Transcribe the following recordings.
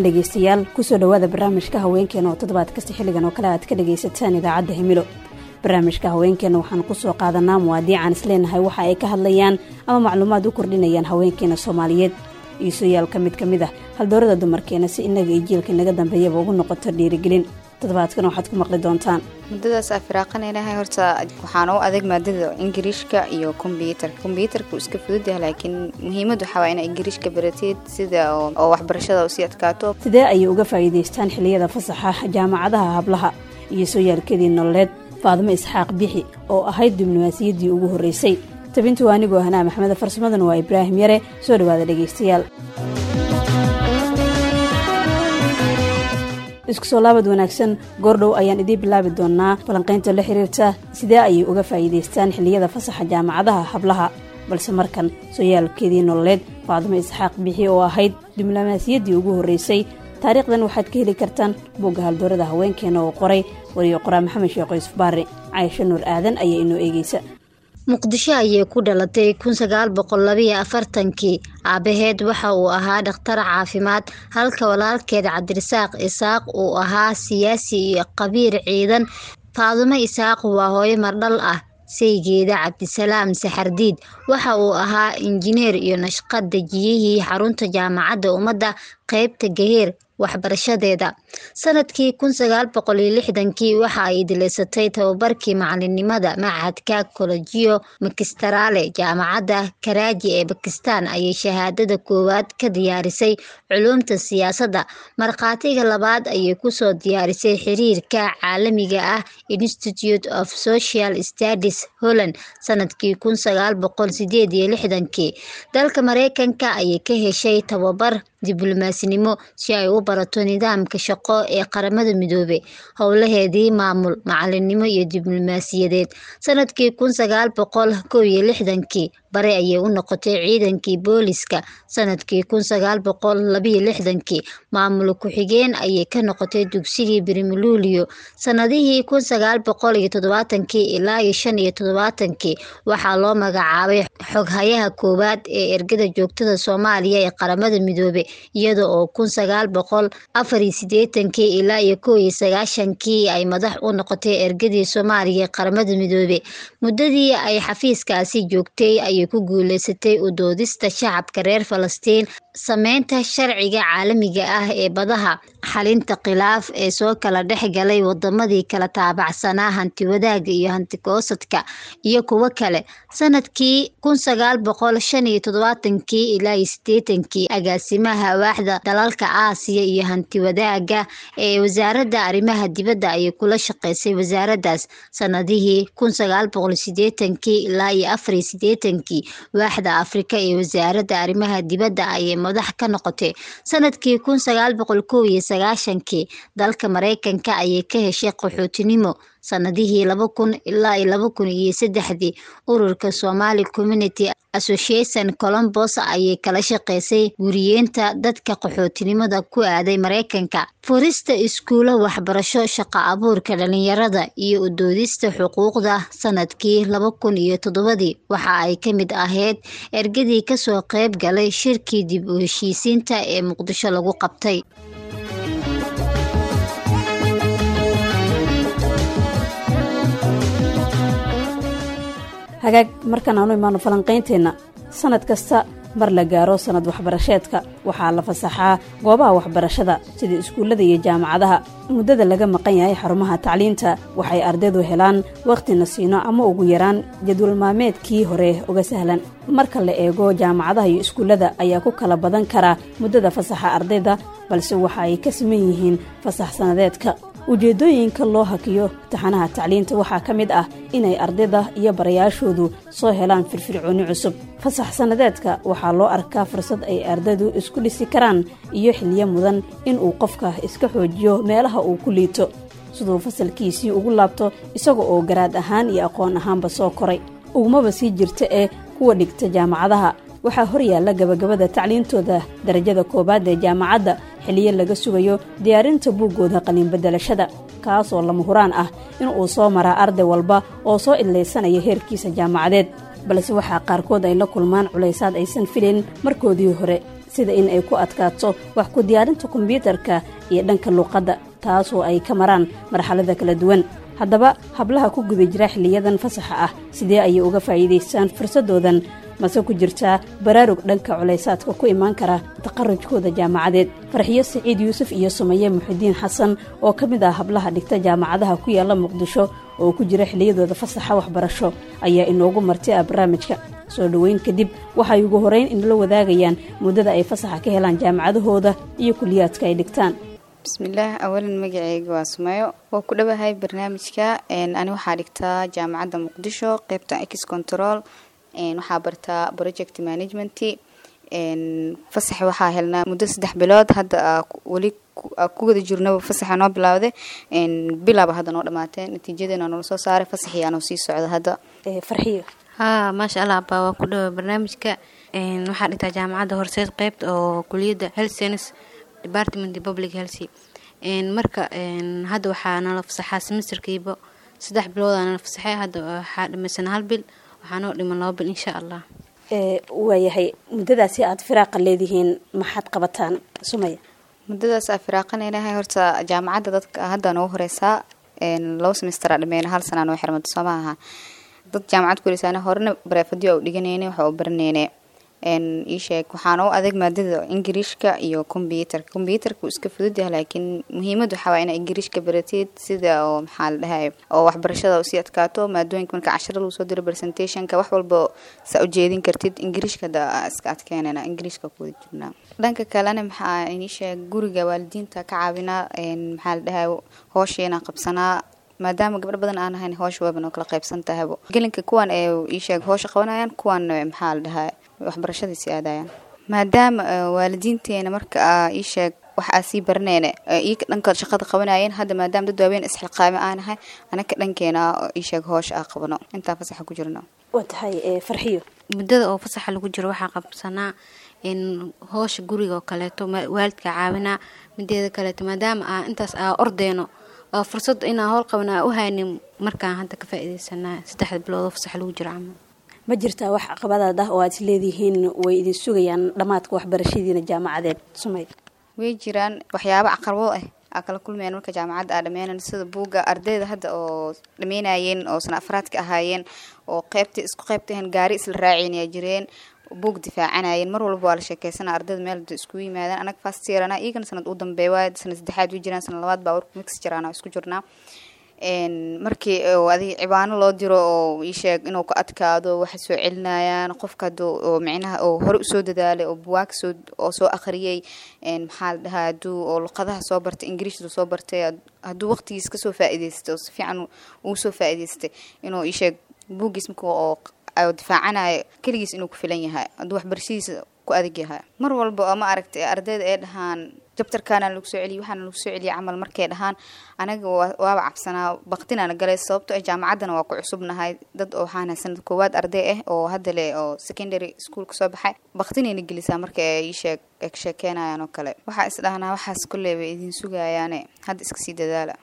Dhegeystayaal, kusoo dhowaada barnaamijka Haweenkeena oo toddobaad kasta xilligan oo kale aad ka dhegaysataan idaacadda Himilo. Barnaamijka Haweenkeena waxaan kusoo qaadanaa muwaadiican isleenahay waxa ay ka hadlayaan ama macluumaad u kordhinayaan haweenkeena Soomaaliyeed iyo sooyaalka mid ka mid ah haldoorada dumarkeena, si inaga iyo jiilka inaga dambeeyaba ugu noqoto dhiirigelin. Toddobaadkan waxaad ku maqli doontaan: Muddadaas aa firaaqanaynahay, horta waxaan u adeeg maadada Ingiriishka iyo kombyuutarka. Kombyuutarka uu iska fudud yahay, laakiin muhiimad waxaa waa inaa Ingiriishka baratid sida oo waxbarashada usii adkaato. Sidee ayay uga faa'iidaystaan xilliyada fasaxa jaamacadaha hablaha iyo sooyaalkeedii nololeed Faadimo Isxaaq Bixi oo ahayd diblomaasiyaddii ugu horreysay? Tabintu waa anigoo Hanaa Maxmed, farsamaduna waa Ibraahim Yare. Soo dhowaada dhegaystayaal, isku soo laabad wanaagsan. Goordhow ayaan idiin bilaabi doonaa falanqaynta la xiriirta sidee ayay uga faa'iidaystaan xilliyada fasaxa jaamacadaha hablaha, balse markan sooyaalkeedii nololeed Faadimo Isxaaq Bixi oo ahayd diblomaasiyaddii ugu horreysay. Taariikhdan waxaad ka heli kartaan bugga haldoorada haweenkeena oo qoray wariyo qoraa Maxamed Sheekh Yuusuf Baari. Caysho Nuur Aadan ayaa inoo eegeysa. Muqdisho ayay ku dhalatay 1942-kii. Aabaheed waxa uu ahaa dhakhtar caafimaad, halka walaalkeed Cabdirasaaq Isaaq uu ahaa siyaasi iyo khabiir ciidan. Faadumo Isaaq waa hooyo mardhal ah. Saygeeda Cabdisalaam Saxardiid waxa uu ahaa injineer iyo nashqad dejiyihii xarunta Jaamacadda Ummadda qeybta Gaheer. Waxbarashadeeda: sanadkii 1960-kii waxa ay idileysatay tababarkii macalinimada machadka Collegio Magistrale. Jaamacadda Karaaji ee Bakistan ayay shahaadada koowaad ka diyaarisay culuumta siyaasadda. Markhaatiga labaad ayay kusoo diyaarisay xiriirka caalamiga ah, Institute of Social Studies, Holland. Sanadkii 1968-kii dalka Mareykanka ayay ka heshay tababar diblomaasinimo si ay u barato nidaamka shaqo ee Qaramada Midoobey, howlaheedii maamul, macalinimo iyo diblomaasiyadeed. Sanadkii 1961-kii bare ayay u noqotay ciidankii booliska. Sanadkii 1962-kii maamul ku-xigeen ayay ka noqotay dugsigii Brimluulio. Sanadihii 1970-kii ilaa iyo 75-kii waxaa loo magacaabay xoghayaha koowaad ee ergada joogtada Soomaaliya ee Qaramada Midoobey, iyada oo 1984-kii ilaa iyo 91-kii ay madax u noqotay ergadii Soomaaliya ee Qaramada Midoobey. Muddadii ay xafiiskaasi joogtay ayay ku guuleysatay u doodista shacabka reer Falastiin, sameynta sharciga caalamiga ah ee badaha, xalinta khilaaf ee soo kala dhex galay wadamadii kala taabacsanaa hantiwadaaga iyo hantigoosadka iyo kuwo kale. Sanadkii 1975-kii ilaa iyo 80-kii agaasimaha waaxda dalalka Aasiya iyo hantiwadaaga ee wasaaradda arrimaha dibadda ayay kula shaqeysay wasaaraddaas. Sanadihii 1980-kii ilaa iyo 84-kii waaxda Afrika ee wasaaradda arrimaha dibadda ayay madax ka noqotay. Sanadkii 1991-kii dalka Mareykanka ayay ka heshay qaxootinimo. Sanadihii 2000 ilaa iyo 2003-dii ururka Somali Community Association Columbus ayay kala shaqeysay guriyeenta dadka qaxootinimada ku aaday Mareykanka, furista iskuulo waxbarasho, shaqo abuurka dhalinyarada iyo u doodista xuquuqda. Sanadkii 2007-dii waxa ay ka mid ahayd ergadii kasoo qeyb galay shirkii dib u heshiisiinta ee Muqdisho lagu qabtay. Hagaag, markaan aanu imaano falanqaynteenna. Sanad kasta mar la gaaro sanad waxbarasheedka waxaa la fasaxaa goobaha waxbarashada sida iskuullada iyo jaamacadaha. Muddada laga maqan yahay xarumaha tacliinta waxay ardaydu helaan wakhti nasiino ama ugu yaraan jadwal maalmeedkii hore uga sahlan. Marka la eego jaamacadaha iyo iskuullada ayaa ku kala badan karaa muddada fasaxa ardayda, balse waxa ay ka siman yihiin fasax sanadeedka. Ujeeddooyinka loo hakiyo taxanaha tacliinta waxaa ka mid ah inay ardayda iyo barayaashoodu soo helaan firfircooni cusub. Fasax sannadeedka waxaa loo arkaa fursad ay ardaydu isku dhisi karaan iyo xiliyo mudan inuu qofka iska xoojiyo meelaha uu ku liito, siduu fasalkiisii ugu laabto isaga oo garaad ahaan iyo aqoon ahaanba soo koray. Ugumaba sii jirta ee kuwa dhigta jaamacadaha waxaa hor yaalla gabagabada tacliintooda darajada koowaad ee jaamacadda, xiliyo laga sugayo diyaarinta buuggooda qalinbedelashada, kaasoo lama huraan ah inuu soo maraa arday walba oo soo idlaysanaya heerkiisa jaamacadeed. Balse waxaa qaarkood ay la kulmaan culaysaad aysan filayn markoodii hore. Sida in ay ku adkaato wax ku diyaarinta kombyuutarka iyo dhanka luuqadda, taasoo ay ka maraan marxalada kala duwan. Haddaba hablaha ku guda jira xilliyadan fasaxa ah, sidee ayay uga faa'iidaystaan fursadoodan? Mase ku jirtaa baraarug dhanka culaysaadka ku imaan kara taqarujkooda jaamacadeed? Farxiyo Siciid Yuusuf iyo Sumaye Muxidiin Xasan oo ka mid ah hablaha dhigta jaamacadaha ku yaalla Muqdisho oo ku jira xilliyadooda fasaxa waxbarasho ayaa inoogu marti ah barnaamijka. Soo dhoweyn kadib, waxay ugu horeyn inala wadaagayaan muddada ay fasaxa ka helaan jaamacadahooda iyo kuliyaadka ay dhigtaan. Bismillaah, awalan magaceyga waa Sumayo, waa ku dhowahay barnaamijka. Ani waxaa dhigtaa Jaamacadda Muqdisho, qeybta ex control, waxaa bartaa project management. Fasax waxaa helnaa muddo 3 bilood. Hadda weli ku wada jirnaba fasaxa noo bilowday, bilaaba hadda noo dhamaatee, natiijadeena noola soo saaray, fasaxii anoo sii socda hadda. Farxiyo. Haa, maasha Allah, baa waa ku dhawa barnaamijka. Waxaa dhigtaa Jaamacadda Horseed, qeybta oo kuliyadda health science department, public health. Marka hadda waxaa nala fasaxaa semesterkiiba 3 bilood aa nala fasaxay. Hadda waxaa dhamaysan hal bil, waxaa noo dhiman 2 bil, insha Allah. Waayahay, muddadaasi aada firaaqa leedihiin maxaad qabataan, Sumaya? Muddadaas aa firaaqanaynahay, horta jaamacadda dadka hadda noogu horeysaa, 2 semestera dhameyna, hal sanaa noo xirmada, soo maaha? Dad jaamacad ku horeysaana horena bareefadyo u dhiganayne, waxa u baranayne ii sheeg. Waxaa noo adeeg maadada Ingiriishka iyo kombyuutarka. Kombyuutarka wuu iska fudud yahay, laakiin muhiimad waxaa waaya inaa Ingiriishka baratid, sida oo maxaa la dhahay oo waxbarashada usii adkaato, maadooyinka marka casharo lagu soo diro, presentationka, wax walba saa ujeedin kartid. Ingiriishka hadda iska adkeynana, Ingiriishka ku wada jirnaa. Dhanka kalena maxaa inii sheeg, guriga waalidiinta ka caawinaa, maxaa la dhahay, hoosheena qabsanaa, maadaama gabdho badan aan ahayn, hoosha wayba noo kala qaybsan tahaybo. Gelinka kuwan ee ii sheeg hoosha qabanayaan, kuwan maxaa la dhahaa waxbarashadiisi aadayaan, maadaama waalidiinteena marka ii sheeg wax aa sii baraneyne iika dhanka shaqada qabanayeen. Hadda maadaama dad waaweyn isxilqaame aanahay, anaka dhankeena ii sheeg hoosha aa qabano intaan fasaxa ku jirno. Waa tahay, Farxiyo. Muddada oo fasaxa lagu jiro waxaa qabsanaa hoosha guriga oo kaleeto, waalidka caawinaa. Mideeda kaleeto, maadaama aa intaas aa ordeyno oo fursad inaa howl qaban aa u haynin, markaan hadda ka faa'iidaysanaa 3da bilood oo fasaxa lagu jiro camal. Ma jirtaa wax caqabadaad ah oo aad is leedihiin way idin sugayaan dhammaadka waxbarashadiina jaamacadeed, Sumay? Way jiraan waxyaabo caqabado ah aa kala kulmayaan marka jaamacadda aa dhameynan, sida buugga ardayda hadda oo dhameynayeen oo sana afraadka ahaayeen oo qeybta isku qeybtahan gaari isla raaceynaya jireen, buug difaacanayeen. Mar walba waa la sheekeysana ardayda meel iskugu yimaadaan. Anaga first year-ana, iyagana sanad u dambeeya waay, sanad saddexaad way jiraan, sanad labaad baa warku mix jiraan, isku jirnaa. Markii adiga cibaano loo diro oo ii sheeg inuu ka adkaado, waxay soo celinayaan qofka haduu oo micnaha oo hore usoo dadaalay oo buwaag soo oo soo akhriyay, maxaa la dhahaa, haduu oo luqadaha soo bartay, Ingiriishda soo bartay, hadduu waqtigiis kasoo faa'iidaystay oo si fiican ugu soo faa'iidaystay, inuu ii sheeg buuggiis marka oo difaacanayo keligiis inuu ku filan yahay, hadduu waxbarashadiisa ku adag yahay. Mar walba oo ma aragtay ardayda ay dhahaan chapterkaana lagu soo celiyay, waxaana lagu soo celiyay camal markay dhahaan, anaga waaba cabsanaa, baqtinaana galay, sababto ah jaamacaddana waa ku cusubnahay. Dad oo waxaana sanad koowaad arday ah oo hadda le oo secondary school kasoo baxay, baqtinayna gelisaa marka ay ii sheeg ay ka sheekeynayaan oo kale. Waxaa is dhahnaa waxaas kolley bay idin sugayaane, hadda iska sii dadaala.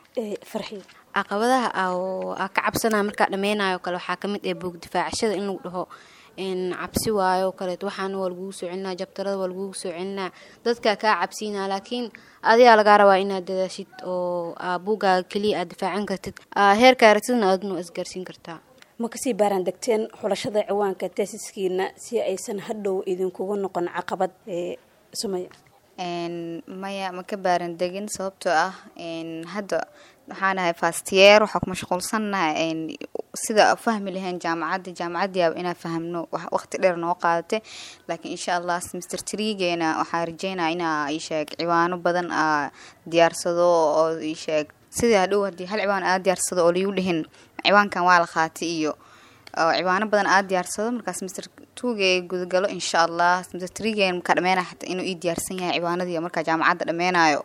Farxiyo. Caqabadaha aa ka cabsanaya markaa dhameynayo kale waxaa kamid ah buug difaacashada in lagu dhaho cabsi waayo oo kaleeto, waxaana waa lagugu soo celinaa, chapterada waa lagugu soo celinaa, dadkaa kaa cabsiinaa. Laakiin adigaa lagaa rabaa inaad dadaashid oo aa buuggaaga keliya aad difaacan kartid, heerkaa aragtidna aadna waa isgaarsiin kartaa. Ma kasii baaraan degteen xulashada ciwaanka thesiskiina si aysan hadhow idinkugu noqon caqabad, Sumaya? Maya, ma ka baaran degin, sababtoo ah hadda waxaan ahay first year, waxaa ku mashquulsannahay sida fahmi lahayn jaamacadda. Jaamacadda yaaba inaan fahmno waqti dheer noo qaadatay, laakiin insha Allah semester threegeena waxaa rajeynaya inaa ii sheeg ciwaano badan aa diyaarsado, oo ii sheeg sidii hadhow haddii hal ciwaan aa diyaarsado oo liigu dhihin ciwaankan waa la qaatay, iyo ciwaano badan aa diyaarsado markaa semester twogee gudagalo, insha Allah. Semester threegeen markaa dhameenaya xataa inuu ii diyaarsan yahay ciwaanadii markaa jaamacadda dhameenayo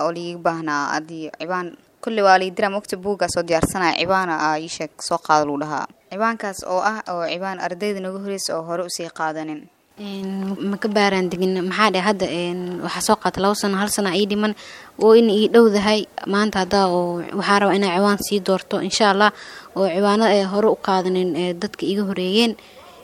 oo liiga baahnaa. Haddii ciwaan kulli waa lii diraa mogta, buuggaa soo diyaarsanaya, ciwaana aa ii sheeg soo qaado lagu dhahaa, ciwaankaas oo ah oo ciwaan ardayda naga horeysa oo hore usii qaadanin. Ma ka baaraan degin. Maxaa dhe, hadda waxaa soo qaata 2 sano, hal sana ii dhiman oo in ii dhowdahay maanta. Haddaa oo waxaa rabaa inaa ciwaan sii doorto, insha Allah, oo ciwaano ay hore u qaadanin ee dadka iga horeeyeen.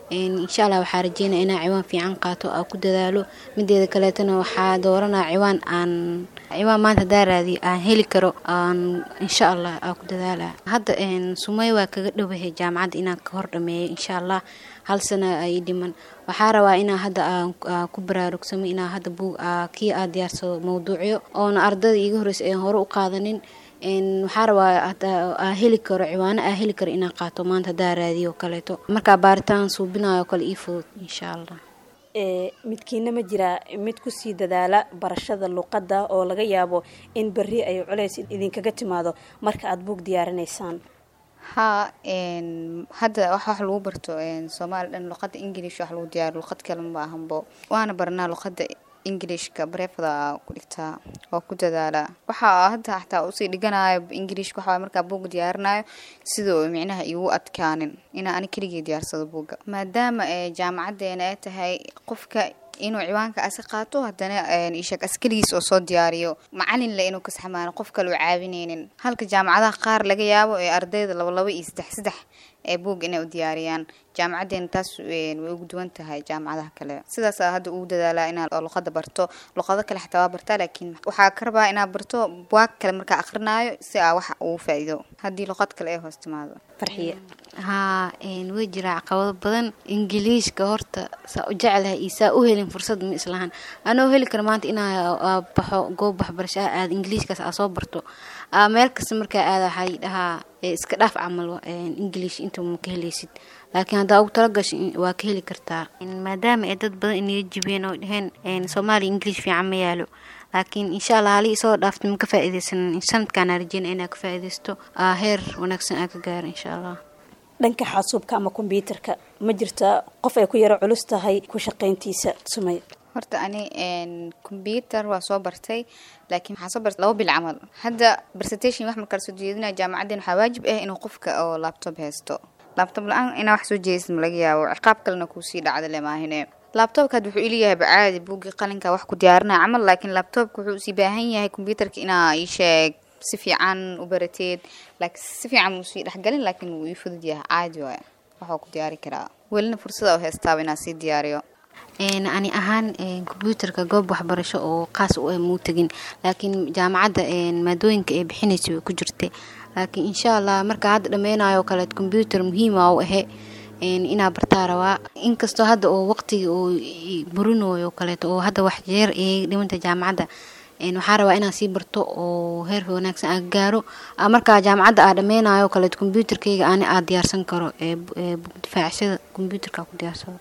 Insha Allah waxaa rajeynaya inaa ciwaan fiican qaato, aa ku dadaalo. Mideeda kaleetana waxaa dooranaa ciwaan aan ciwaan maanta hadaa raadiyo aan heli karo, aan insha Allah aa ku dadaala. Hadda Sumay waa kaga dhowahay jaamacadda inaan ka hor dhameeyo insha Allah. Hal sana ay dhiman. Waxaa rabaa inaa hadda aan ku baraarugsamo, inaa hadda buug kii aad diyaarsado mawduucyo oona ardada iiga horeysa aan hore u qaadanin. Waxaa rabaa aa heli karo ciwaano, aa heli karo inaan qaato maanta hadaa raadiyo kaleeto, markaa baaritaan suubinayo kale ii fudud insha Allah. Midkiina ma jiraa mid kusii dadaala barashada luqadda oo laga yaabo in berri ay culays idinkaga timaado marka aada buug diyaarinaysaan? Haa, hadda wax lagu barto Soomaali dhan luqadda English wax lagu diyaariyo, luqad kale ma ahanbo. Waana baranaa luqadda Englishka, bareefada ku dhigtaa, waa ku dadaalaa. Waxaa hadda xataa usii dhiganayo Englishka waxaa markaa buug diyaarinayo sidoo micnaha igu adkaanin inaa ani keligii diyaarsado buugga, maadaama jaamacadeena ay tahay qofka inuu ciwaanka asi qaato, haddana isheeg as keligiis oo soo diyaariyo, macalin le inuu kasaxmaano, qof kale u caawineynin, halka jaamacadaha qaar laga yaabo ee ardayda laba laba iyo saddex saddex ee buug inay u diyaariyaan. Jaamacadeena taas way ugu duwan tahay jaamacadaha kale. Sidaasaa hadda ugu dadaalaa inaa luqada barto. Luqado kale xataa waa bartaa, laakiin waxaa ka rabaa inaa barto buwaag kale markaa akrinaayo si aa wax ugu faa'iido haddii luqad kale ay hoos timaado. Farxiye? Haa, way jiraa caqabado badan. Ingiliishka horta saa u jeclahay iyo saa u helin fursad ma islahan. Anoo heli kara maanta inaa baxo goob waxbarasho ah, aad ingiliishkaas aa soo barto, meel kasta markaa aada waxaa la dhahaa iska dhaaf camal, English inta ma ka helaysid, laakiin haddaa ugu talagasho waa ka heli kartaa, maadaama ay dad badan inaga jibeen oo dheheen Soomaaliya English fiican ma yaalo. Laakiin insha Allah hali isoo dhaaftay ma ka faa'iidaysan. Sanadkaan rajeyna inaa ka faa'iidaysto, heer wanaagsan aa ka gaaro insha Allah. Dhanka xaasuubka ama kombyuutarka ma jirtaa qof ay ku yaro culus tahay ku shaqayntiisa, Sumay? Horta ani combyuter waa soo bartay, laakiin waxaa soo bartay 2 bil camal. Hadda presentation wax markaa soo jeedinaya jaamacaddeen, waxaa waajib ah inuu qofka oo laptop haysto. Laptop la-aan inaa wax soo jeedisid ma laga yaabo, ciqaab kalena kuusii dhacda le maahine. Laptopka hadda wuxuu iliyahay bacaadi buuggii qalinka wax ku diyaarinaya camal, laakiin laptopka wuxuu usii baahan yahay combyuterka inaa ii sheeg si fiican u barateed, laakiin si fiican wuu sii dhexgalin, laakiin wuu ii fudud yahay, caadi waay, waxuu ku diyaari karaa. Welina fursada u haystaaba inaa sii diyaariyo. Ani ahaan kombyuutarka goob waxbarasho oo qaas u ah muu tegin, laakiin jaamacadda maadooyinka ay bixinaysa way ku jirtay. Laakiin insha Allah marka hadda dhameynayo kaleet kombyuutar muhiima u ahe inaa bartaa rabaa, inkastoo hadda oo waqtiga uu burinayo kaleeto oo hadda wax jeer ee dhimanta jaamacadda. Waxaa rabaa inaan sii barto oo heer wanaagsan aan gaaro, markaa jaamacadda aa dhameynayo kaleet kombyuutarkayga ani aa diyaarsan karo, difaacashada kombyuutarka ku diyaarsado.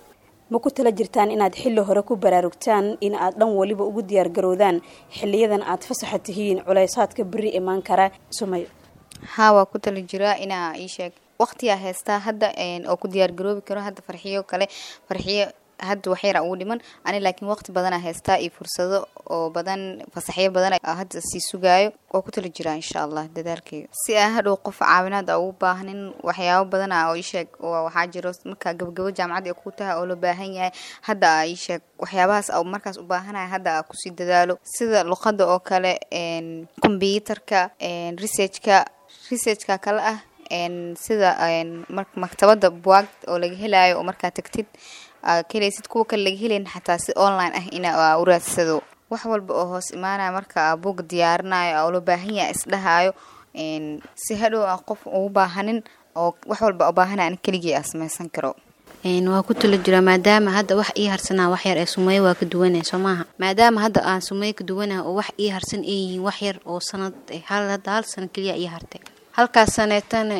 Ma ku tala jirtaan inaad xilli hore ku baraarugtaan in aad dhan waliba ugu diyaargarowdaan xiliyadan aad fasaxa tihiin culaysaadka beri imaan kara, Sumay? Haa, waa ku tala jiraa inaa ii sheeg waqtiyaa haystaa hadda oo ku diyaargaroobi karo. Hadda Farxiyo kale, Farxiyo hadda waxyara ugu dhiman ani, laakiin waqti badanaa haystaa iyo fursado oo badan, fasaxyo badan hadda sii sugaayo. Waa ku tala jiraa insha Allah dadaalkeyga si aan hadhow qof caawinaad a ugu baahnin. Waxyaabo badana oo iisheeg waxaa jiro markaa gabagabo jaamacadda ay ku tahay oo loo baahan yahay hadda aa iisheeg waxyaabahaas a markaas u baahanaya hadda aa kusii dadaalo, sida luqadda oo kale, combyuterka, researchka kale ah, sida maktabadda buwaag oo laga helayo oo markaa tagtid ka helaysid, kuwa kale laga helayn xataa si online ah ina u raadsado. Wax walba oo hoos imaanaya marka aa buug diyaarinayo oo loo baahan yahay isdhahayo, si hadhow aan qof ugu baahanin oo wax walba u baahanaya an keligii aa samaysan karo. Waa ku tala jiraa, maadaama hadda wax ii harsanaa wax yar ee Sumeyo waa ka duwanay soo maaha. Maadaama hadda aan Sumeyo ka duwanaha oo wax ii harsan ay yihiin wax yar oo sanad, hadda hal sano keliya ii hartay. Halkaas saneetana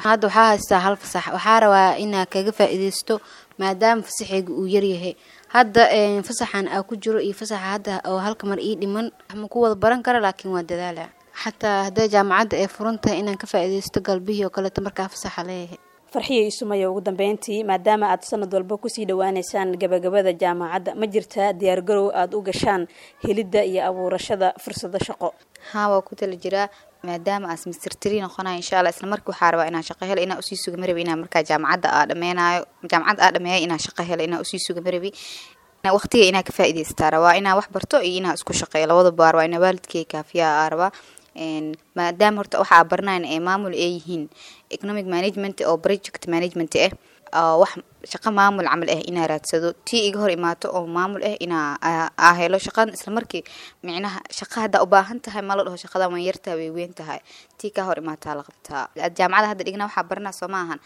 hadda waxaa haystaa hal fasax, waxaa rabaa inaa kaga faa'iidaysto maadaama fasaxeyga uu yaryahay. Hadda fasaxan aa ku jiro iyo fasaxa hadda oo halka mar ii dhiman ma ku wada baran kara, laakiin waa dadaala xataa hadday jaamacadda ay furan tahay inaan ka faa'iidaysto galbihii oo kaleeto markaa fasaxa leeyahay. Farxiya iyo Sumaya, ugu dambeyntii, maadaama aad sanad walba kusii dhawaaneysaan gabagabada jaamacadda, ma jirtaa diyaargarow aada u gashaan helidda iyo abuurashada fursado shaqo? Haa, waa ku tala jiraa, maadaama aan semester three noqonayo insha Allah. Isla markii waxaa rabaa inaan shaqo helo, inaan usii suga marabi. Inaan markaa jaamacadda aa dhameynayo, jaamacadda aa dhameeyo, inaan shaqo helo inaan usii suga marabi. Waqtiga inaa ka faa'iidaystaa rabaa, inaan wax barto iyo inaan isku shaqeeyo labadaba waa rabaa, inaa waalidkay kaafiyaa aa rabaa, maadaama horta waxa aa baranayn ee maamul ay yihiin economic management oo project management ah, wax Shaqo maamul camal ah inaa raadsado, tii iga hor imaato oo maamul ah inaa aa helo shaqadan isla markii. Micnaha shaqa haddaa u baahan tahay ma la dhaho shaqadan waan yartahay, way weyn tahay, tii kaa hor imaataa la qabtaa. Jaamacada hadda dhigna waxaa baranaa soo ma ahan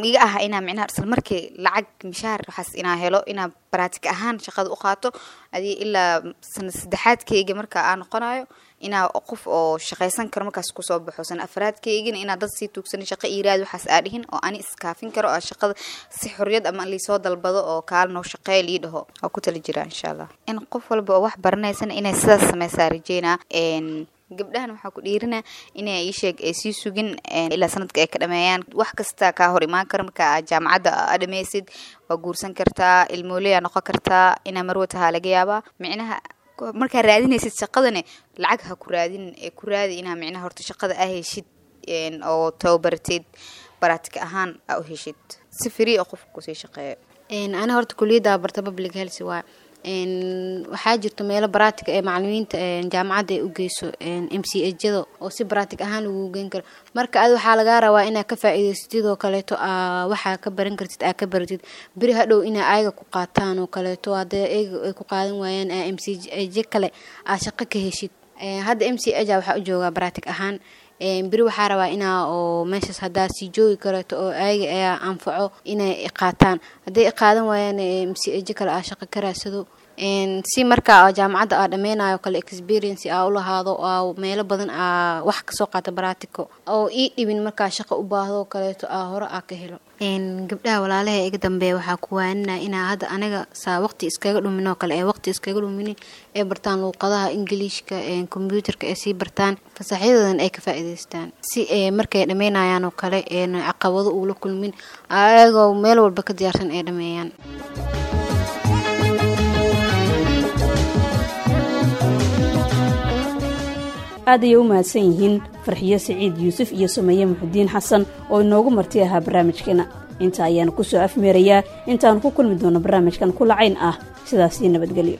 iga aha inaa micnaha isla markii lacag mishaar waxaas inaa helo, inaa baraatik ahaan shaqada u qaato adii ilaa sana saddexaadkayga marka aa noqonayo inaa qof oo shaqaysan karo markaas kusoo baxo. Sana afraadkaygana inaa dad sii tuugsan shaqo iiraad waxaas aa dhihin oo ani iskaafin karo oo shaqada si xorriyad ama liisoo dalbado oo kaal noo shaqeey lii dhaho oo ku tali jiraa insha Allah. In qof walba oo wax baranaysana inay sidaas sameysaa rajeynaa. Gabdhahan waxaa ku dhiirina inay iisheeg ay sii sugin ilaa sanadka ay ka dhameeyaan. Wax kasta kaa hor imaan kara marka aad jaamacadda aa dhameysid, waa guursan kartaa, ilmooleyaa noqon kartaa, inaa marwa tahaa laga yaabaa. Micnaha markaa raadinaysid shaqadane lacag ha ku raadin, ee ku raadi inaa micnaha horta shaqada aa heshid oo tababaratid, baraatika ahaan aa u heshid si free oo qofka kusii shaqeeyo. Ani horta kuliyadda barta public health waa waxaa jirto meelo baraatig ee macalimiinta jaamacadda ay u geyso MCHyada oo si baraatig ahaan lagu geyn karo. Marka ad waxaa lagaa rabaa inaad ka faa'iidaysatid oo kaleeto, waxaa ka baran kartid aa ka baratid, beri hadhow inaa ayaga ku qaataan oo kaleeto. Haddii ayaga ay ku qaadan waayaan, aa MCH kale aa shaqo ka heshid. Hadda MCH waxaa u joogaa baraatig ahaan, beri waxaa rabaa inaa oo meeshaas haddaa sii joogi kareeto oo ayaga ayaa anfaco inay qaataan. Hadday qaadan waayaan, MCH kale aa shaqo ka raadsado, si markaa jaamacadda aa dhameynayo kale experience aa ulahaado, aa meelo badan aa wax kasoo qaata baratico oo ii dhibin markaa shaqo u baahdo kaleeto aa hore aa ka helo. Gabdhaha walaalaha iga dambeeya waxaa ku waanina inaa hadda aniga saa waqti iskaga dhumin oo kale ee waqti iskaga dhumin ee bartaan luuqadaha Ingiliishka, kombyuutarka ee sii bartaan, fasaxyadoodan ay ka faa'iidaystaan, si ee markay dhammeynayaan oo kale een caqabado uula kulmin, ayagoo meel walba ka diyaarsan ay dhameeyaan. Aad ayay u mahadsan yihiin Farxiyo Siciid Yuusuf iyo Sumeeye Muxudiin Xasan oo inoogu marti ahaa barnaamijkeena. Inta ayaanu ku soo afmeerayaa intaanu ku kulmi doono barnaamijkan kulacayn ah. Sidaasii nabadgelyo.